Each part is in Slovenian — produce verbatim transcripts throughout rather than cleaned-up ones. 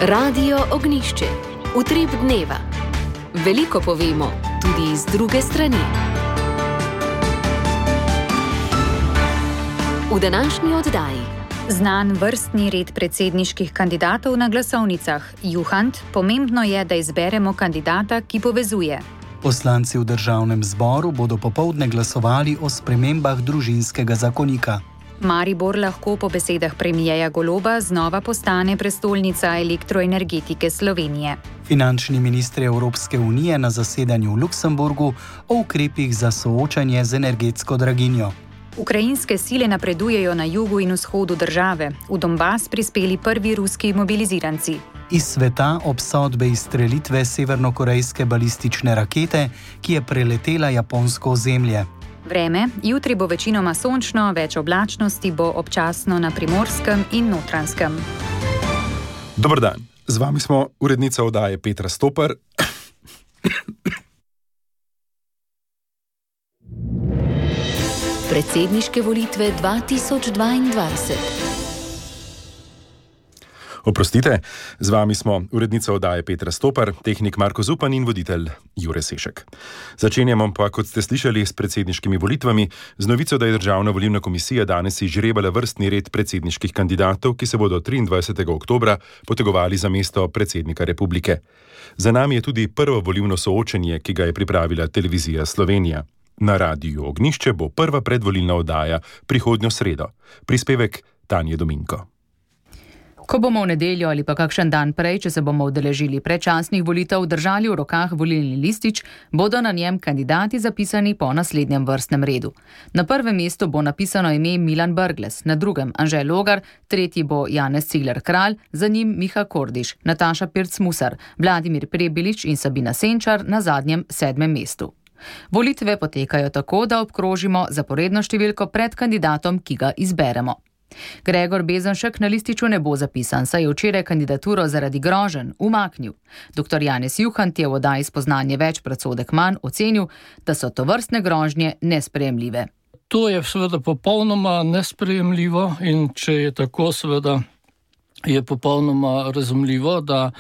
Radio Ognišče, utrip dneva. Veliko povemo, tudi iz druge strani. V današnji oddaji. Znan vrstni red predsedniških kandidatov na glasovnicah. Juhant, pomembno je, da izberemo kandidata, ki povezuje. Poslanci v državnem zboru bodo popoldne glasovali o spremembah družinskega zakonika. Maribor lahko po besedah premierja Goloba znova postane prestolnica elektroenergetike Slovenije. Finančni ministri Evropske unije na zasedanju v Luksemburgu o ukrepih za soočanje z energetsko draginjo. Ukrajinske sile napredujejo na jugu in vzhodu države. V Donbas prispeli prvi ruski mobiliziranci. Iz sveta obsodbe izstrelitve severnokorejske balistične rakete, ki je preletela japonsko ozemlje. Vreme, jutri bo večinoma sončno, več oblačnosti bo občasno na Primorskem in Notranjskem. Dober dan, z vami smo urednica oddaje Petra Stopar. Predsedniške volitve dva tisoč dvaindvajset. Oprostite, z vami smo urednica oddaje Petra Stopar, tehnik Marko Zupan in voditelj Jure Sešek. Začenjamo pa, kot ste slišali, s predsedniškimi volitvami, z novico, da je Državna volilna komisija danes izžrebala vrstni red predsedniških kandidatov, ki se bodo triindvajsetega oktobra potegovali za mesto predsednika republike. Za nami je tudi prvo volilno soočenje, ki ga je pripravila Televizija Slovenija. Na Radiu Ognišče bo prva predvolilna oddaja prihodnjo sredo. Prispevek Tanje Dominko. Ko bomo v nedeljo ali pa kakšen dan prej, če se bomo udeležili predčasnih volitev, držali v rokah volilni listič, bodo na njem kandidati zapisani po naslednjem vrstnem redu. Na prvem mestu bo napisano ime Milan Brglez, na drugem Anže Logar, tretji bo Janez Cigler Kralj, za njim Miha Kordiš, Nataša Pirc Musar, Vladimir Prebilič in Sabina Senčar na zadnjem sedmem mestu. Volitve potekajo tako, da obkrožimo zaporedno številko pred kandidatom, ki ga izberemo. Gregor Bezenšek na lističu ne bo zapisan, saj je včeraj kandidaturo zaradi groženj umaknil. Doktor Janez Juhant je v oddaji Spoznanje več predsodek manj ocenil, da so tovrstne grožnje nesprejemljive. To je seveda popolnoma nesprejemljivo in če je tako, seveda je popolnoma razumljivo, da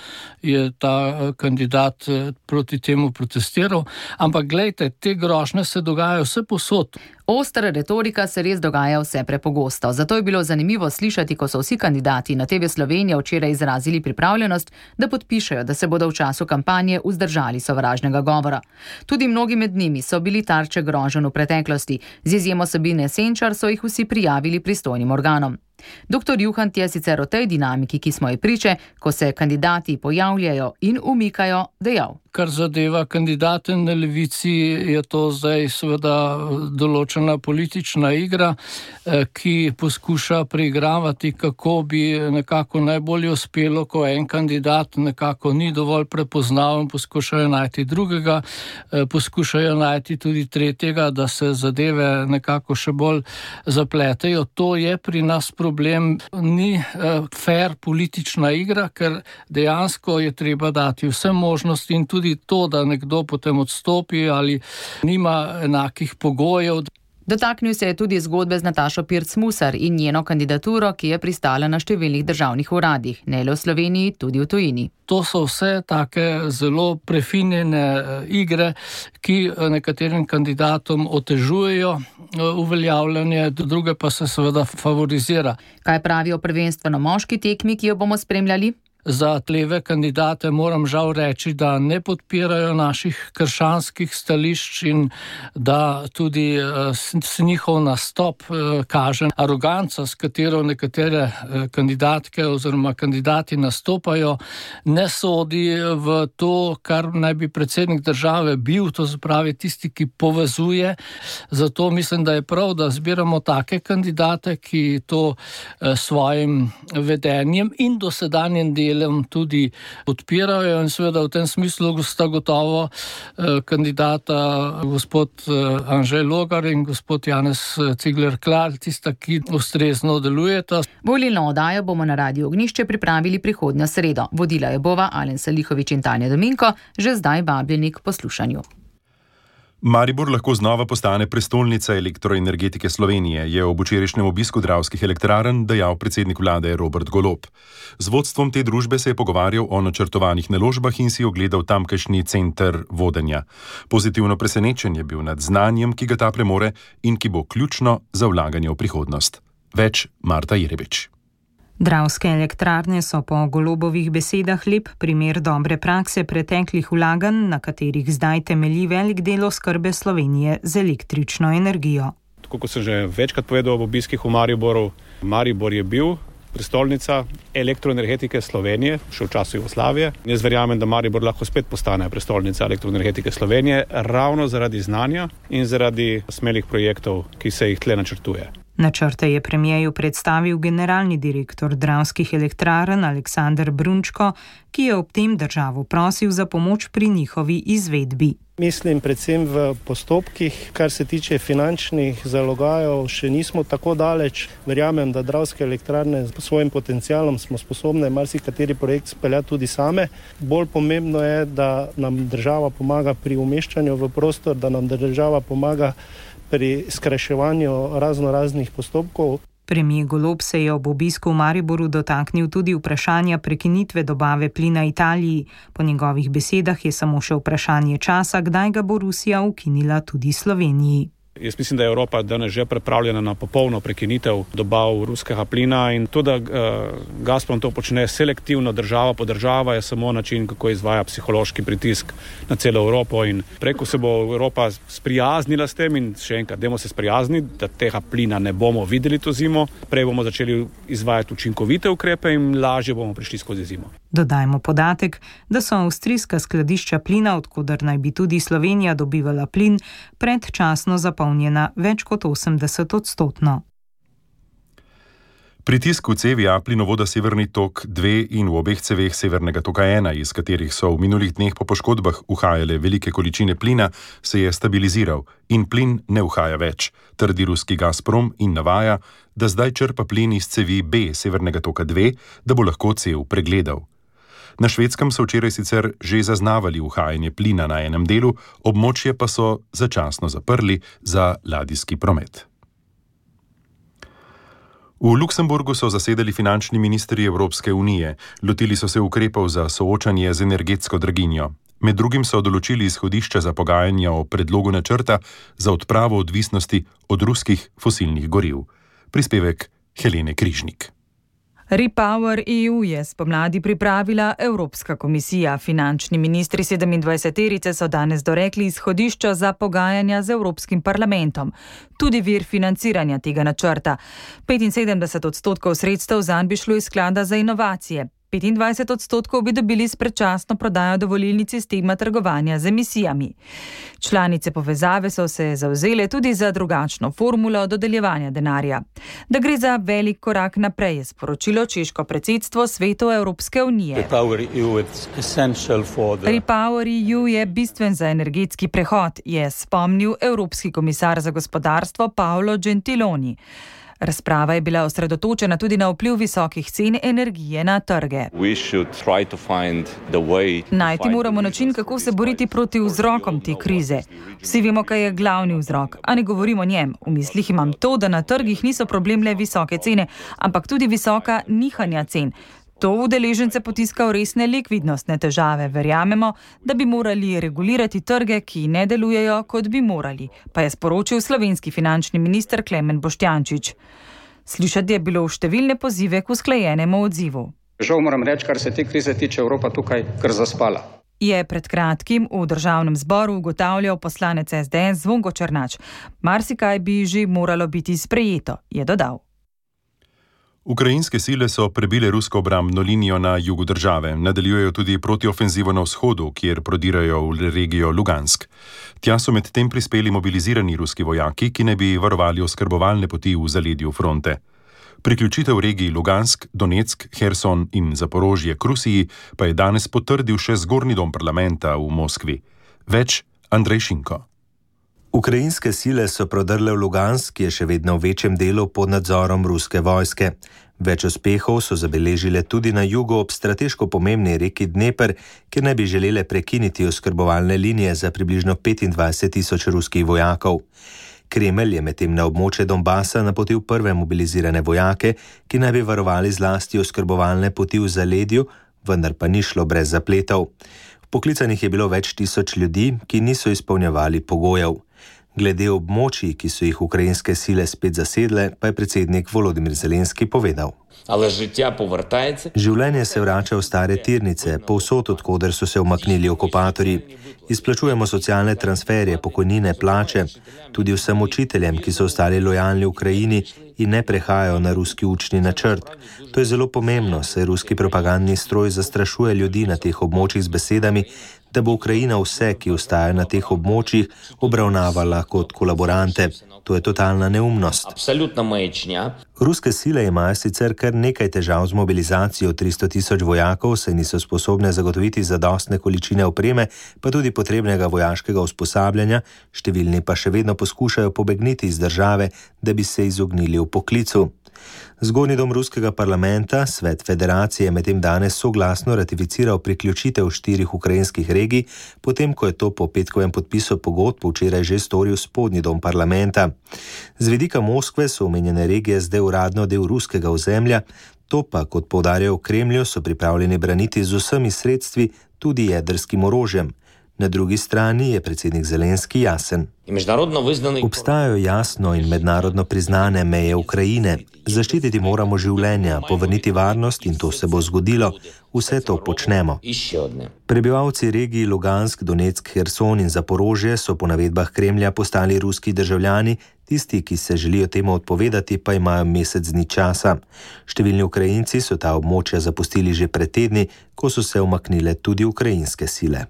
je ta kandidat proti temu protestiral. Ampak glejte, te grožnje se dogajajo vse povsod. Ostra retorika se res dogaja vse prepogosto. Zato je bilo zanimivo slišati, ko so vsi kandidati na T V Slovenija včeraj izrazili pripravljenost, da podpišejo, da se bodo v času kampanje vzdržali sovražnega govora. Tudi mnogi med njimi so bili tarče groženj v preteklosti. Z izjemo Sabine Senčar so jih vsi prijavili pristojnim organom. Doktor Juhant je sicer o tej dinamiki, ki smo ji priče, ko se kandidati pojavljajo in umikajo, dejal. Kar zadeva kandidate na levici, je to zdaj seveda določena politična igra, ki poskuša preigravati, kako bi nekako najbolje uspelo, ko en kandidat nekako ni dovolj prepoznaven, poskušajo najti drugega, poskušajo najti tudi tretjega, da se zadeve nekako še bolj zapletejo. To je pri nas problem, ni fair politična igra, ker dejansko je treba dati vse možnosti in tudi to, da nekdo potem odstopi ali nima enakih pogojev. Dotaknil se je tudi zgodbe z Natašo Pirc Musar in njeno kandidaturo, ki je pristala na številnih državnih uradih, ne le v Sloveniji, tudi v tujini. To so vse take zelo prefinjene igre, ki nekaterim kandidatom otežujejo uveljavljanje, druge pa se seveda favorizira. Kaj pravi o prvenstveno moški tekmi, ki jo bomo spremljali? Za leve kandidate moram žal reči, da ne podpirajo naših krščanskih stališč in da tudi s njihov nastop kaže aroganca, s katero nekatere kandidatke oziroma kandidati nastopajo, ne sodi v to, kar naj bi predsednik države bil, to se pravi tisti, ki povezuje. Zato mislim, da je prav, da zbiramo take kandidate, ki to svojim vedenjem in dosedanjem delom tudi podpirajo in seveda v tem smislu sta gotovo eh, kandidata gospod eh, Anže Logar in gospod Janez Cigler Kralj, tista, ki ustrezno delujeta. Volilno oddajo bomo na Radiu Ognišče pripravili prihodnjo sredo. Vodila je bova Alen Salihovič in Tanja Dominko, že zdaj vabljeni k poslušanju. Maribor lahko znova postane prestolnica elektroenergetike Slovenije, je ob včerajšnjem obisku Dravskih elektrarn dejal predsednik vlade Robert Golob. Z vodstvom te družbe se je pogovarjal o načrtovanih naložbah in si ogledal tamkajšnji center vodenja. Pozitivno presenečen je bil nad znanjem, ki ga ta premore in ki bo ključno za vlaganje v prihodnost. Več Marta Jerebič. Dravske elektrarne so po Golobovih besedah lep primer dobre prakse preteklih vlaganj, na katerih zdaj temelji velik del oskrbe Slovenije z električno energijo. Tako kot sem že večkrat povedal ob obiskih v Mariboru, Maribor je bil prestolnica elektroenergetike Slovenije, še v času Jugoslavije. Jaz verjamem, da Maribor lahko spet postane prestolnica elektroenergetike Slovenije, ravno zaradi znanja in zaradi smelih projektov, ki se jih tle načrtuje. Načrte je premijeju predstavil generalni direktor Dravskih elektrarn Aleksander Brunčko, ki je ob tem državo prosil za pomoč pri njihovi izvedbi. Mislim predvsem v postopkih, kar se tiče finančnih zalogajev, še nismo tako daleč. Verjamem, da Dravske elektrarne s svojim potencialom smo sposobne marsikateri projekt speljati tudi same. Bolj pomembno je, da nam država pomaga pri umeščanju v prostor, da nam država pomaga pri skrajševanju razno raznih postopkov. Premier Golob se je ob obisku v Mariboru dotaknil tudi vprašanja prekinitve dobave plina Italiji. Po njegovih besedah je samo še vprašanje časa, kdaj ga bo Rusija ukinila tudi Sloveniji. Jaz mislim, da je Evropa danes že pripravljena na popolno prekinitev dobav ruskega plina in to, da uh, Gazprom to počne selektivno, država po država, je samo način, kako izvaja psihološki pritisk na celo Evropo in preko se bo Evropa sprijaznila s tem in še enkrat, dajmo se sprijazniti, da tega plina ne bomo videli to zimo, prej bomo začeli izvajati učinkovite ukrepe in lažje bomo prišli skozi zimo. Dodajmo podatek, da so avstrijska skladišča plina, od koder naj bi tudi Slovenija dobivala plin, predčasno zapolnjena več kot osemdeset odstotno. Pritisk v cevi A plinovoda Severni tok dve in v obeh ceveh Severnega toka ena, iz katerih so v minulih dneh po poškodbah uhajale velike količine plina, se je stabiliziral in plin ne uhaja več, trdi ruski Gazprom in navaja, da zdaj črpa plin iz cevi B Severnega toka dve, da bo lahko cev pregledal. Na Švedskem so včeraj sicer že zaznavali uhajanje plina na enem delu, območje pa so začasno zaprli za ladijski promet. V Luksemburgu so zasedali finančni ministri Evropske unije, lotili so se ukrepov za soočanje z energetsko draginjo. Med drugim so določili izhodišča za pogajanja o predlogu načrta za odpravo odvisnosti od ruskih fosilnih goriv. Prispevek Helene Križnik. Repower E U je spomladi pripravila Evropska komisija. Finančni ministri sedemindvajseterice so danes dorekli izhodišča za pogajanja z Evropskim parlamentom. Tudi vir financiranja tega načrta. petinsedemdeset odstotkov sredstev zanj bi šlo iz sklada za inovacije. petindvajset odstotkov bi dobili s predčasno prodajo dovolilnic sistema trgovanja z emisijami. Članice povezave so se zavzele tudi za drugačno formulo dodeljevanja denarja. Da gre za velik korak naprej, je sporočilo češko predsedstvo Svetu Evropske unije. Repower E U je bistven za energetski prehod, je spomnil Evropski komisar za gospodarstvo Paolo Gentiloni. Razprava je bila osredotočena tudi na vpliv visokih cen energije na trge. Najti moramo način, kako se boriti proti vzrokom te krize. Vsi vemo, kaj je glavni vzrok, a ne govorimo o njem. V mislih imam to, da na trgih niso problem le visoke cene, ampak tudi visoka nihanja cen. To udeležence potiska v resne likvidnostne težave. Verjamemo, da bi morali regulirati trge, ki ne delujejo, kot bi morali, pa je sporočil slovenski finančni minister Klemen Boštjančič. Slišati je bilo številne pozive k usklajenemu odzivu. Žal moram reči, kar se te krize tiče, Evropa tukaj kar zaspala. Je pred kratkim v državnem zboru ugotavljal poslanec S D S Zvonko Černač. Marsikaj bi že moralo biti sprejeto, je dodal. Ukrajinske sile so prebile rusko obrambno linijo na jugu države, nadaljujejo tudi protiofenzivo na vzhodu, kjer prodirajo v regijo Lugansk. Tja so med tem prispeli mobilizirani ruski vojaki, ki ne bi varovali oskrbovalne poti v zaledju fronte. Priključitev regiji Lugansk, Donetsk, Herson in Zaporožje k Rusiji pa je danes potrdil še zgornji dom parlamenta v Moskvi. Več Andrej Šinko. Ukrajinske sile so prodrle v Lugansk, ki je še vedno v večjem delu pod nadzorom ruske vojske. Več uspehov so zabeležile tudi na jugu ob strateško pomembni reki Dneper, kjer ne bi želele prekiniti oskrbovalne linije za približno petindvajset tisoč ruskih vojakov. Kremelj je medtem na območje Donbasa napotil prve mobilizirane vojake, ki naj bi varovali zlasti oskrbovalne poti v zaledju, vendar pa ni šlo brez zapletov. Poklicanih je bilo več tisoč ljudi, ki niso izpolnjevali pogojev. Glede območij, ki so jih ukrajinske sile spet zasedle, pa je predsednik Volodymyr Zelenski povedal. Življenje se vrača v stare tirnice, povsod, odkoder so se umaknili okupatorji. Izplačujemo socialne transferje, pokojnine, plače, tudi vsem učiteljem, ki so ostali lojalni Ukrajini in ne prehajajo na ruski učni načrt. To je zelo pomembno, saj ruski propagandni stroj zastrašuje ljudi na teh območjih z besedami, da bo Ukrajina vse, ki ostajajo na teh območjih, obravnavala kot kolaborante. To je totalna neumnost. Ruske sile imajo sicer kar nekaj težav z mobilizacijo tristo tisoč vojakov, saj niso sposobne zagotoviti zadostne količine opreme, pa tudi potrebnega vojaškega usposabljanja, številni pa še vedno poskušajo pobegniti iz države, da bi se izognili v poklicu. Zgornji dom ruskega parlamenta, Svet federacije, je medtem danes soglasno ratificiral priključitev štirih ukrajinskih regij, potem ko je to po petkovem podpisu pogodb včeraj že storil spodnji dom parlamenta. Z vidika Moskve so omenjene regije zdaj uradno del ruskega ozemlja, to pa, kot poudarjajo v Kremlju, so pripravljeni braniti z vsemi sredstvi, tudi jedrskim orožjem. Na drugi strani je predsednik Zelenski jasen. Obstajajo jasno in mednarodno priznane meje Ukrajine. Zaščititi moramo življenja, povrniti varnost in to se bo zgodilo. Vse to počnemo. Prebivalci regij Lugansk, Donetsk, Herson in Zaporožje so po navedbah Kremlja postali ruski državljani, tisti, ki se želijo temu odpovedati, pa imajo mesec dni časa. Številni Ukrajinci so ta območja zapustili že pred tedni, ko so se umaknile tudi ukrajinske sile.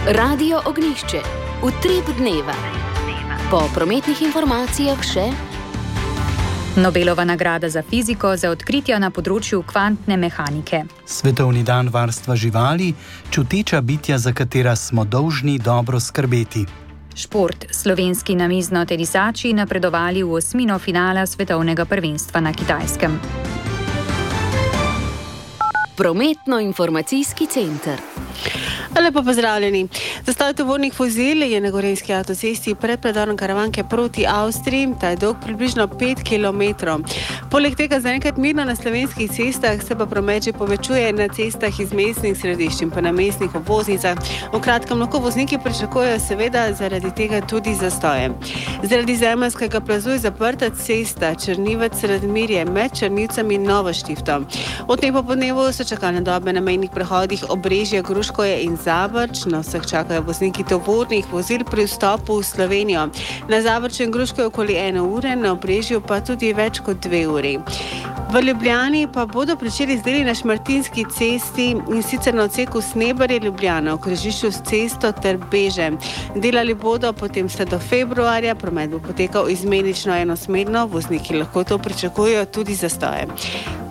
Radio Ognjišče, utrip dneva. Po prometnih informacijah še Nobelova nagrada za fiziko za odkritja na področju kvantne mehanike. Svetovni dan varstva živali, čuteča bitja, za katera smo dolžni dobro skrbeti. Šport. Slovenski namizno-tenisači napredovali v osmino finala svetovnega prvenstva na Kitajskem. Prometno-informacijski center. Lepo pozdravljeni. Zastoj tovornih vozil je na gorenjski avtocesti pred predorom Karavanke proti Avstriji, ta je dolg približno pet kilometrov. Poleg tega zaenkrat mirno na slovenskih cestah, se pa promet že povečuje na cestah iz mestnih središč in pa na mestnih obvoznicah. V kratkem lahko vozniki pričakujejo seveda zaradi tega tudi zastoje. Zaradi zemeljskega plazu je zaprta cesta Črnivec-Radmirje med Črnivcem in Novo Štifto. Od tem popoldnevu so čakalne dobe na mejnih prehodih Obrežje, Gruškovje in Zavrč. Na vseh čakajo vozniki tovornih vozil pri vstopu v Slovenijo. Na Zavrču in Gruškovju okoli ene ure, na Obrežju pa tudi več kot dve uri. V Ljubljani pa bodo pričeli z deli na Šmartinski cesti in sicer na odseku Snebarje-Ljubljana v križišču s cesto ter Beže. Delali bodo potem vse do februarja, promet bo potekal izmenično enosmerno, vozniki lahko to pričakujejo tudi zastoje.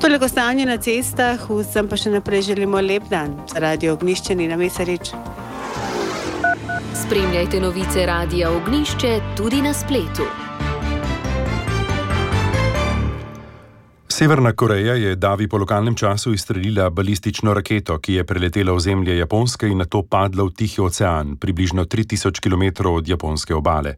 Toliko stanje na cestah, vsem pa še naprej želimo lep dan. Radio Ognjišče, Nina Mesarič. Spremljajte novice Radia Ognjišče tudi na spletu. Severna Koreja je davi po lokalnem času izstrelila balistično raketo, ki je preletela ozemlje Japonske in nato padla v Tihi ocean, približno tri tisoč kilometrov od japonske obale.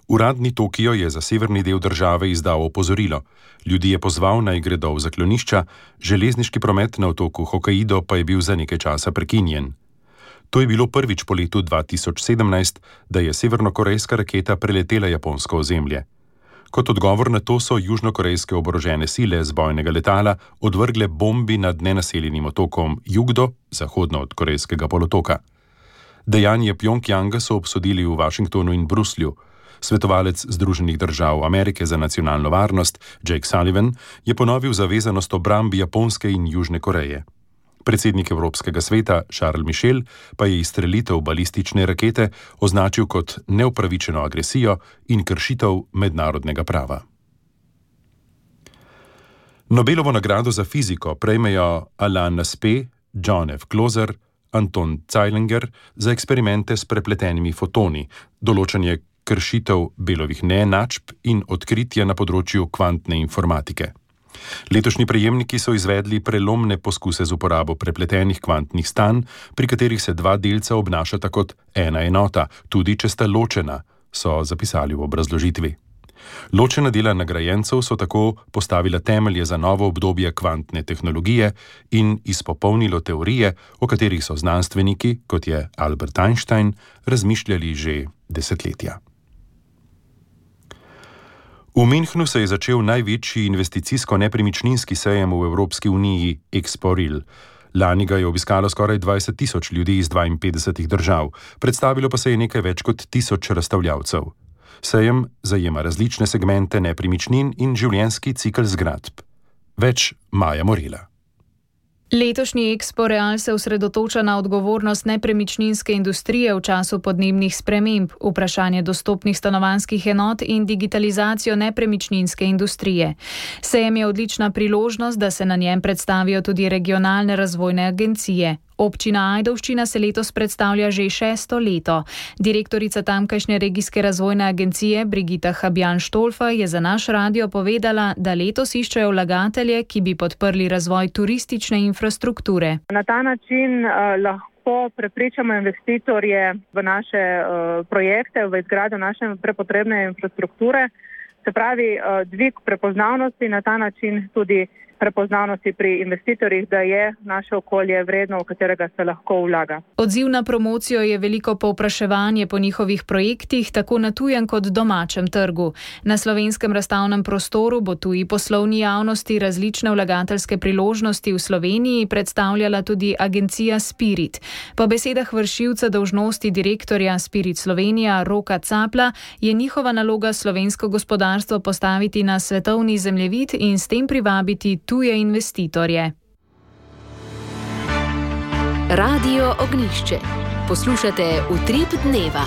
Uradni Tokio je za severni del države izdal opozorilo. Ljudi je pozval, naj gredo v zaklonišča, železniški promet na otoku Hokkaido pa je bil za nekaj časa prekinjen. To je bilo prvič po letu dva tisoč sedemnajst, da je severnokorejska raketa preletela japonsko ozemlje. Kot odgovor na to so južnokorejske oborožene sile z bojnega letala odvrgle bombi nad nenaseljenim otokom Jugdo, zahodno od korejskega polotoka. Dejanje Pjongjanga so obsodili v Washingtonu in Bruslju. Svetovalec Združenih držav Amerike za nacionalno varnost, Jake Sullivan, je ponovil zavezanost obrambi Japonske in Južne Koreje. Predsednik Evropskega sveta Charles Michel pa je izstrelitev balistične rakete označil kot neupravičeno agresijo in kršitev mednarodnega prava. Nobelovo nagrado za fiziko prejmejo Alain Aspect, John F. Gloser, Anton Zeilinger za eksperimente s prepletenimi fotoni, določanje kršitev Belovih neenačb in odkritja na področju kvantne informatike. Letošnji prejemniki so izvedli prelomne poskuse z uporabo prepletenih kvantnih stanj, pri katerih se dva delca obnašata kot ena enota, tudi če sta ločena, so zapisali v obrazložitvi. Ločena dela nagrajencev so tako postavila temelje za novo obdobje kvantne tehnologije in izpopolnilo teorije, o katerih so znanstveniki, kot je Albert Einstein, razmišljali že desetletja. V Münchnu se je začel največji investicijsko-nepremičninski sejem v Evropski uniji Expo-Real. Lani ga je obiskalo skoraj dvajset tisoč ljudi iz dvainpetdesetih držav, predstavilo pa se je nekaj več kot tisoč razstavljavcev. Sejem zajema različne segmente nepremičnin in življenjski cikel zgradb. Več Maja Morela. Letošnji Expo-Real se osredotoča na odgovornost nepremičninske industrije v času podnebnih sprememb, vprašanje dostopnih stanovanjskih enot in digitalizacijo nepremičninske industrije. Sejem je odlična priložnost, da se na njem predstavijo tudi regionalne razvojne agencije. Občina Ajdovščina se letos predstavlja že šesto leto. Direktorica tamkajšnje regijske razvojne agencije Brigita Habjan-Štolfa je za naš radio povedala, da letos iščejo vlagatelje, ki bi podprli razvoj turistične infrastrukture. Na ta način uh, lahko prepričamo investitorje v naše uh, projekte, v izgradnjo naše prepotrebne infrastrukture, se pravi uh, dvig prepoznavnosti, na ta način tudi prepoznavnosti pri investitorjih, da je naše okolje vredno, v katerega se lahko vlaga. Odziv na promocijo je veliko povpraševanje po njihovih projektih, tako na tujem kot domačem trgu. Na slovenskem razstavnem prostoru bo tuji poslovni javnosti različne vlagateljske priložnosti v Sloveniji predstavljala tudi agencija Spirit. Po besedah vršilca dolžnosti direktorja Spirit Slovenija Roka Capla je njihova naloga slovensko gospodarstvo postaviti na svetovni zemljevid in s tem privabiti tuje investitorje. Radio Ognjišče. Poslušate Utrip dneva.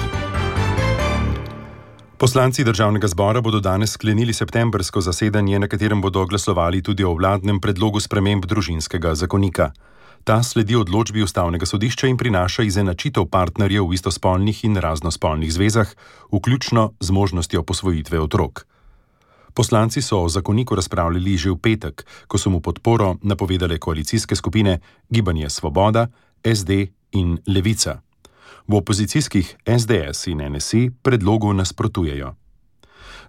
Poslanci Državnega zbora bodo danes sklenili septembrsko zasedanje, na katerem bodo glasovali tudi o vladnem predlogu sprememb družinskega zakonika. Ta sledi odločbi Ustavnega sodišča in prinaša izenačitev partnerjev v istospolnih in raznospolnih zvezah, vključno z možnostjo posvojitve otrok. Poslanci so o zakoniku razpravljali že v petek, ko so mu podporo napovedale koalicijske skupine Gibanje Svoboda, S D in Levica. V opozicijskih S D S in N S I predlogu nasprotujejo.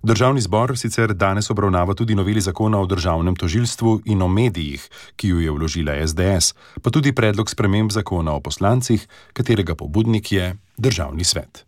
Državni zbor sicer danes obravnava tudi noveli zakona o državnem tožilstvu in o medijih, ki jo je vložila S D S, pa tudi predlog sprememb zakona o poslancih, katerega pobudnik je Državni svet.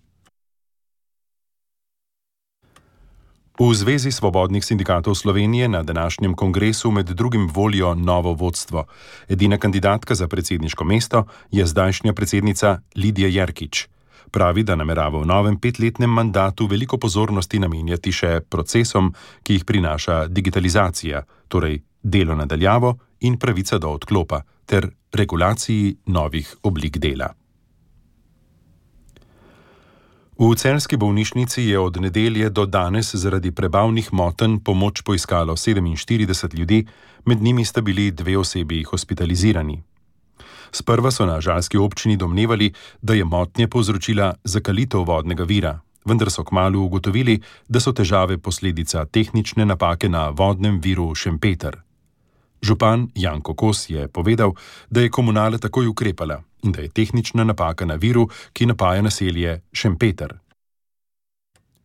V Zvezi svobodnih sindikatov Slovenije na današnjem kongresu med drugim volijo novo vodstvo. Edina kandidatka za predsedniško mesto je zdajšnja predsednica Lidija Jerkič. Pravi, da namerava v novem petletnem mandatu veliko pozornosti namenjati še procesom, ki jih prinaša digitalizacija, torej delo na daljavo in pravica do odklopa, ter regulaciji novih oblik dela. V celjski bolnišnici je od nedelje do danes zaradi prebavnih motenj pomoč poiskalo sedeminštirideset ljudi, med njimi sta bili dve osebi hospitalizirani. Sprva so na žalski občini domnevali, da je motnje povzročila zakalitev vodnega vira, vendar so kmalu ugotovili, da so težave posledica tehnične napake na vodnem viru Šempeter. Župan Janko Kos je povedal, da je komunala takoj ukrepala in da je tehnična napaka na viru, ki napaja naselje Šempeter.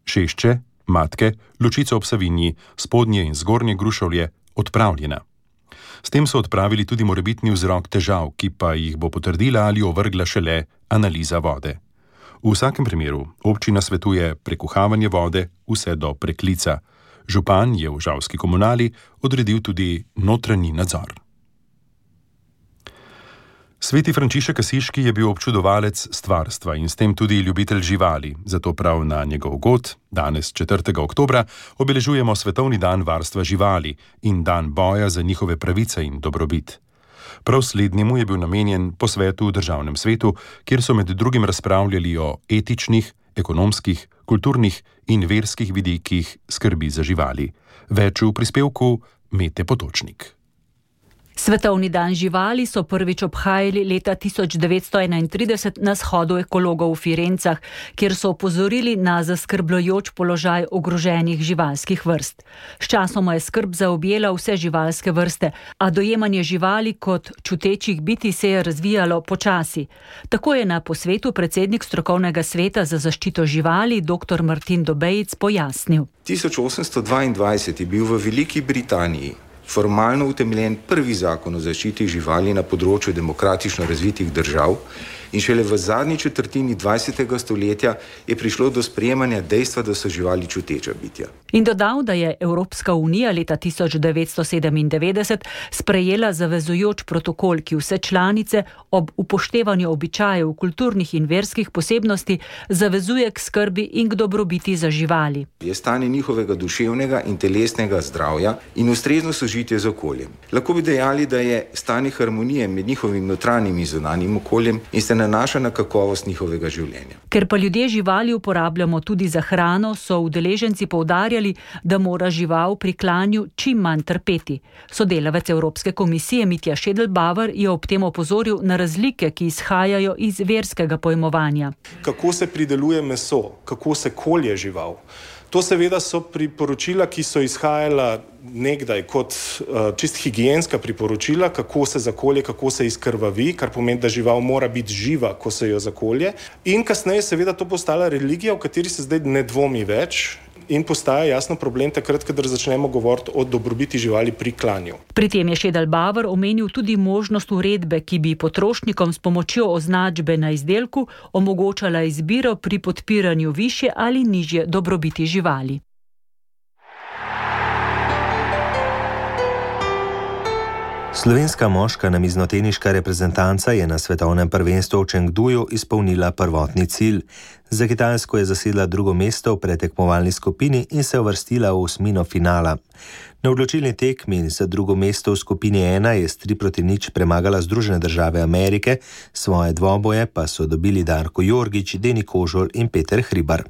Šešče, Matke, Lučico ob Savinji, Spodnje in Zgornje Grušovlje odpravljena. S tem so odpravili tudi morebitni vzrok težav, ki pa jih bo potrdila ali ovrgla šele analiza vode. V vsakem primeru občina svetuje prekuhavanje vode vse do preklica. Župan je v žalski komunali odredil tudi notranji nadzor. Sveti Frančišek Asiški je bil občudovalec stvarstva in s tem tudi ljubitelj živali, zato prav na njegov god, danes četrtega oktobra, obeležujemo Svetovni dan varstva živali in dan boja za njihove pravice in dobrobit. Prav slednjemu je bil namenjen posvet v državnem svetu, kjer so med drugim razpravljali o etičnih, ekonomskih, kulturnih in verskih vidikih skrbi za živali. Več v prispevku Mete Potočnik. Svetovni dan živali so prvič obhajali leta tisoč devetsto enaintrideset na shodu ekologov v Firencah, kjer so opozorili na zaskrbljujoč položaj ogroženih živalskih vrst. Sčasoma je skrb zaobjela vse živalske vrste, a dojemanje živali kot čutečih bitij se je razvijalo počasi. Tako je na posvetu predsednik strokovnega sveta za zaščito živali dr. Martin Dobejc pojasnil. tisoč osemsto dvaindvajset je bil v Veliki Britaniji formalno utemeljen prvi zakon o zaščiti živali na področju demokratično razvitih držav in šele v zadnji četrtini dvajsetega stoletja je prišlo do sprejemanja dejstva, da so živali čuteča bitja. In dodal, da je Evropska unija leta tisoč devetsto sedemindevetdeset sprejela zavezujoč protokol, ki vse članice ob upoštevanju običajev, kulturnih in verskih posebnosti zavezuje k skrbi in k dobrobiti za živali. Je stanje njihovega duševnega in telesnega zdravja in ustrezno sožitje z okoljem. Lahko bi dejali, da je stanje harmonije med njihovim notranjim in zunanjim okoljem in se nanaša na kakovost njihovega življenja. Ker pa ljudje živali uporabljamo tudi za hrano, so udeleženci poudarjali, da mora žival pri klanju čim manj trpeti. Sodelavec Evropske komisije Mitja Šedelbauer je ob tem opozoril na razlike, ki izhajajo iz verskega pojmovanja. Kako se prideluje meso, kako se kolje žival. To seveda so priporočila, ki so izhajala nekdaj kot uh, čist higienska priporočila, kako se zakolje, kako se izkrvavi, kar pomeni, da žival mora biti živa, ko se jo zakolje. In kasneje seveda to postala religija, v kateri se zdaj ne dvomi več in postaja jasno problem takrat, kadar začnemo govoriti o dobrobiti živali pri klanju. Pri tem je Šedelbauer omenil tudi možnost uredbe, ki bi potrošnikom s pomočjo označbe na izdelku omogočala izbiro pri podpiranju višje ali nižje dobrobiti živali. Slovenska moška namiznoteniška reprezentanca je na svetovnem prvenstvu v Chengduju izpolnila prvotni cilj. Za Kitajsko je zasedla drugo mesto v pretekmovalni skupini in se uvrstila v osmino finala. Na odločilni tekmi za drugo mesto v skupini ena je s tri proti nič premagala Združene države Amerike, svoje dvoboje pa so dobili Darko Jorgič, Deni Kožol in Peter Hribar.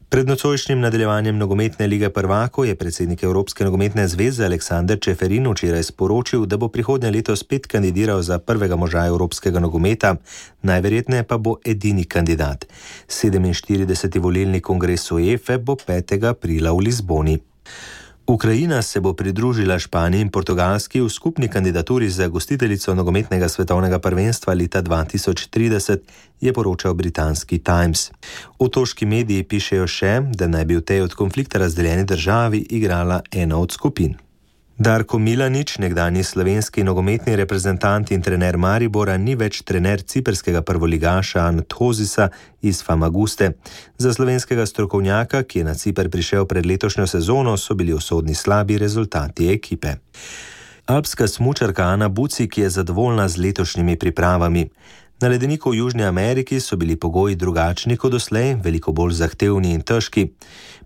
Pred nocojšnjim nadaljevanjem nogometne lige prvakov je predsednik Evropske nogometne zveze Aleksander Čeferin včeraj sporočil, da bo prihodnje leto spet kandidiral za prvega moža evropskega nogometa, najverjetneje pa bo edini kandidat. sedeminštirideseti volilni kongres UEFA bo petega aprila v Lizboni. Ukrajina se bo pridružila Španiji in Portugalski v skupni kandidaturi za gostiteljico nogometnega svetovnega prvenstva leta dva tisoč trideset, je poročal britanski Times. Otoški mediji pišejo še, da naj bi v tej od konflikta razdeljeni državi igrala ena od skupin. Darko Milanič, nekdanji slovenski nogometni reprezentant in trener Maribora, ni več trener ciprskega prvoligaša Anthosisa iz Famaguste. Za slovenskega strokovnjaka, ki je na Ciper prišel pred letošnjo sezono, so bili usodni slabi rezultati ekipe. Alpska smučarka Ana Bucik je zadovoljna z letošnjimi pripravami. Na ledeniku v Južni Ameriki so bili pogoji drugačni kot doslej, veliko bolj zahtevni in težki.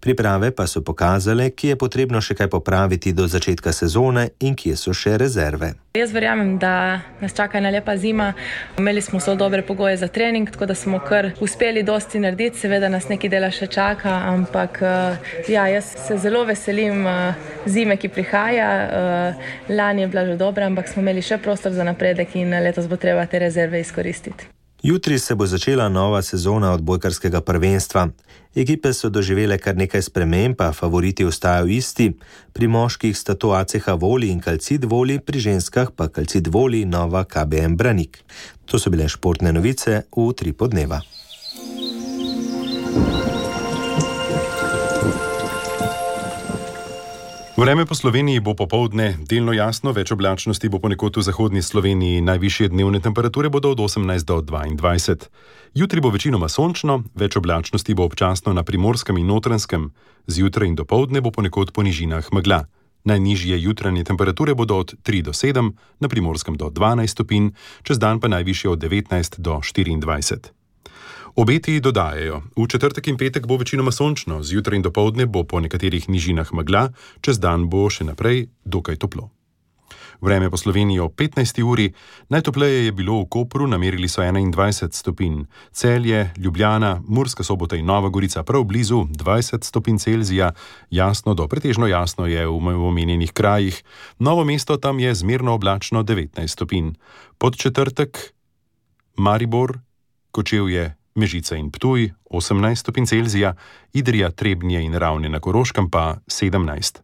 Priprave pa so pokazale, kje je potrebno še kaj popraviti do začetka sezone in kje so še rezerve. Jaz verjamem, da nas čaka ena lepa zima. Imeli smo zelo dobre pogoje za trening, tako da smo kar uspeli dosti narediti. Seveda nas nekaj dela še čaka, ampak ja, jaz se zelo veselim zime, ki prihaja. Lani je bila že dobra, ampak smo imeli še prostor za napredek in letos bo treba te rezerve izkoristiti. Jutri se bo začela nova sezona odbojkarskega prvenstva. Ekipe so doživele kar nekaj sprememb, pa favoriti ostajajo isti. Pri moških sta to A C H Voli in Calcid Voli, pri ženskah pa Calcid Voli Nova K B M Branik. To so bile športne novice v Utrip dneva. Vreme po Sloveniji bo popoldne delno jasno, več oblačnosti bo ponekod v zahodni Sloveniji, najvišje dnevne temperature bodo od osemnajst do dvaindvajset. Jutri bo večinoma sončno, več oblačnosti bo občasno na Primorskem in Notranjskem, zjutraj in dopoldne bo ponekod po nižinah megla. Najnižje jutranje temperature bodo od tri do sedem, na Primorskem do dvanajst stopinj, čez dan pa najvišje od devetnajst do štiriindvajset. Obeti dodajajo, v četrtek in petek bo večinoma sončno, zjutraj in dopoldne bo po nekaterih nižinah megla, čez dan bo še naprej dokaj toplo. Vreme po Sloveniji ob petnajsti uri, najtopleje je bilo v Kopru, namerili so enaindvajset stopinj. Celje, Ljubljana, Murska Sobota in Nova Gorica prav blizu dvajset stopinj Celzija, jasno do pretežno jasno je v omenjenih krajih. Novo mesto, tam je zmerno oblačno devetnajst stopinj. Podčetrtek Maribor, Kočevje, Mežica in Ptuj osemnajst stopinj Celzija, Idrija, Trebnje in Ravne na Koroškem pa sedemnajst.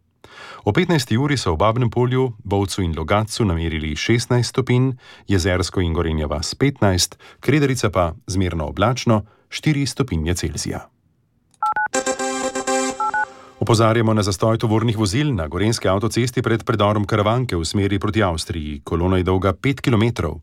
O petnajsti uri so v Babnem Polju, Bovcu in Logatcu namerili šestnajst stopinj, Jezersko in Gorenja vas petnajst, Kredarica pa zmerno oblačno štiri stopinje Celzija. Opozarjamo na zastoj tovornih vozil na gorenjski avtocesti pred predorom Karavanke v smeri proti Avstriji. Kolona je dolga pet kilometrov.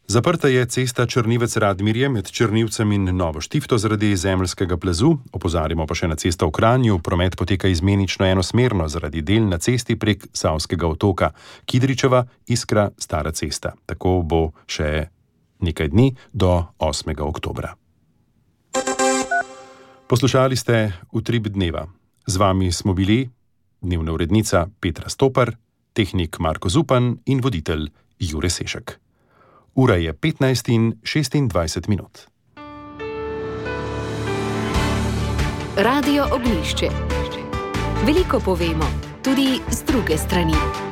Zaprta je cesta Črnivec-Radmirje med Črnivcem in Novo Štifto zaradi zemeljskega plazu. Opozarjamo pa še na cesto v Kranju. Promet poteka izmenično enosmerno zaradi del na cesti prek Savskega otoka. Kidričeva, Iskra, Stara cesta. Tako bo še nekaj dni do osmega oktobra. Poslušali ste Utrip dneva. Z vami smo bili dnevna urednica Petra Stopar, tehnik Marko Zupan in voditelj Jure Sešek. Ura je petnajst in šestindvajset minut. Radio Ognjišče. Veliko povemo, tudi z druge strani.